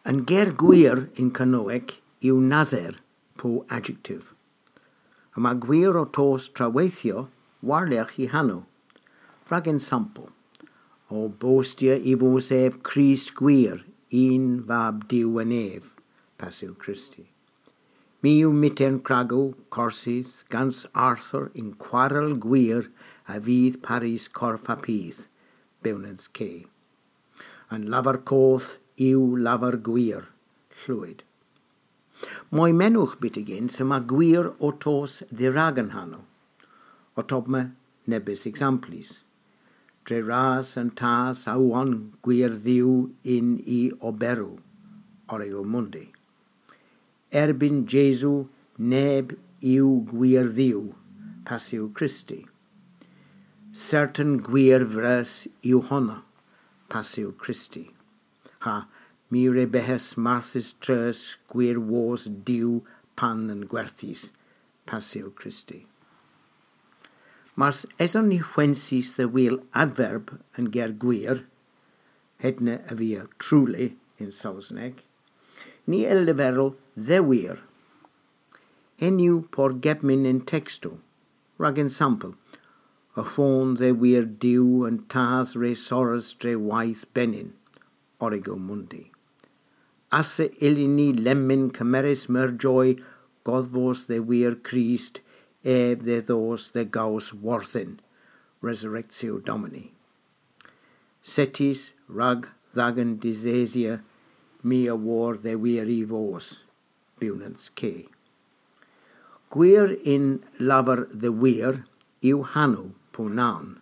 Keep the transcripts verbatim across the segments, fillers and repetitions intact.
An ger gwir yn Kernewek yw naser po adjektif. Yma gwir ow tos traweythyow warlogh y hanow. Rag ensampel, ow bostya y vos ev Krist gwir, unn vab Duw en ev, Passyw Kristy. My yw myghtern kragow, korsys, gans Arthur yn kwarel gwir a vydh parys korf ha pydh, bewnans K. An lavar koth yw lavar gwir, Llwyd. Moy menowgh byttegyns yma gwir ow tos dherag an hanow. Ottomma nebes ekzamplys. Dre ras an Tas a wonn gwirdhyw yn y oberow, Origo Mundi. Erbynn Jesu neb yw gwirdhyw, Passyw Kristy. Sertan gwir vreus yw honna, Passyw Kristy. Ha my re bygghas marthys treus gwir wos Duw pan an gwerthys, Passyw Kristy. Mars eson ni hwensys dhe wul adverb an ger gwir, hedna a via truly yn Sowsnek, ni a yll leverel dhe wir. Henn yw porgebmyn yn tekstow, rag ensampel, y fons dhe wir Duw an Tas re sorras dre wayth benyn, Origo Mundi. Asa yllyn ni lemmyn kemeres meur joy godhvos dhe wir Krist, ev dhe dhos dhe gows worthen, Resurrectio Domini. Settys rag dhagan disesya my a wor dhe wir y vos, bewnans K. Gwir yn lavar dhe wir yw hanow po noun.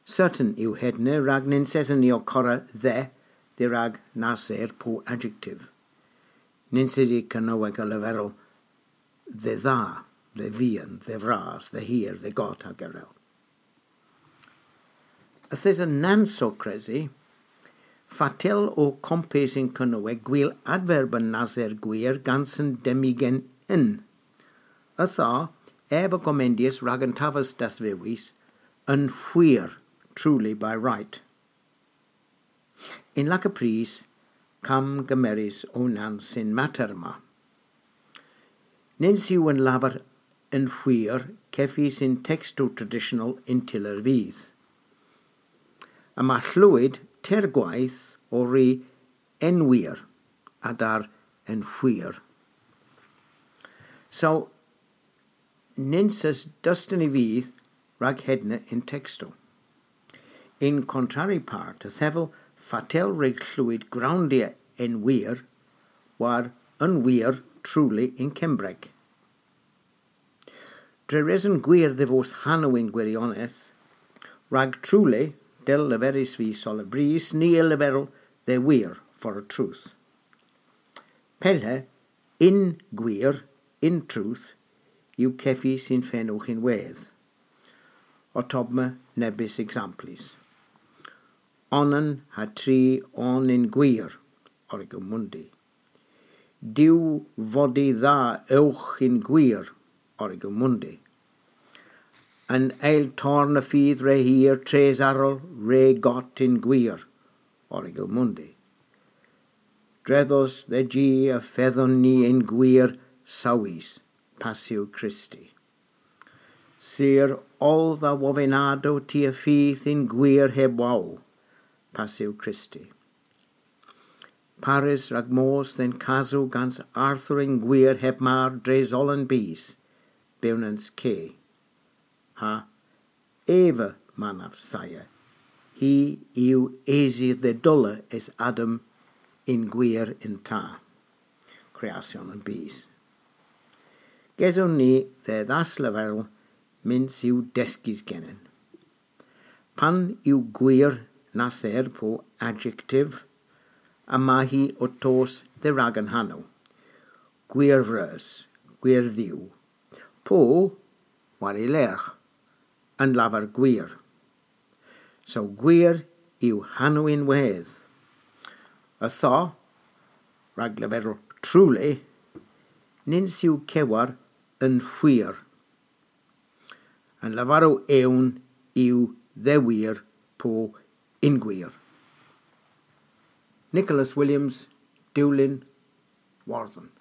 Sertan yw hedna rag nyns eson ni ow korra dhe, dherag naser po adjektif. Nyns yw Kernewek a leverel dhe dha, dhe vian, dhe vras, dhe hir, dhe got hag erel. Yth esa nans ow kresi, fatel o kompes yn Kernewek gwul adverb an naser gwir gans an demmigen yn. Ytho, ev a gomendyas rag an taves dasvewys yn hwir, truly by right. Yn laka prys, kamgemeres o nans y'n mater ma. Nyns yw an lavar yn hwir kevys yn tekstow tradisyonel yn tyller vydh. Yma Llwyd teyr gwayth ow ri yn wir, a-der yn hwir. So, nyns eus dus dynn y vydh rag hedna yn tekstow. Yn kontrari part, yth hevel fatel re Llwyd growndya yn wir, war yn wir truly yn Kembrek. Dre reson gwir dhe vos hanow yn gwirionedh, rag truly, dell leveris vy seulabrys, ni a leverel dhe wir, for a truth. Pella, yn gwir, in truth, yw kevys yn fenowgh ynwedh. Ottomma nebes ekzamplys. Onan ha tri on yn gwir, Origo Mundi. Diw vodi dha ewgh yn gwir, Origo Mundi. An eyl torn a fydh re hir, tres arall re got yn gwir, Origo Mundi. Dre dhos dhe ji y fedhon ni yn gwir sawys, Passyw Kristy. Sur oll dha wovynnadow ty a fydh yn gwir heb wow, Passyw Kristy. Parys rag mos dhe'n kasow gans Arthur yn gwir heb mar dres oll an bys, bewnans K. Ha ev a manav saya. Hi yw esir dhe dolla es Adam yn gwir yn ta. Kreasyon an bys. Geson ni dhe dhasleverel myns yw deskys genen. Pan yw gwir naser po adjektif, yma hi ow tos dherag an hanow. Gwir vreus, gwirdhyw. Po, war y lergh, an lavar gwir. So gwir yw hanow ynwedh. Ytho, rag leverel truly, nyns yw kewer yn hwir. An lavarow ewn yw dhe wir po yn gwir. Nicholas Williams, Dewlin Wardhen.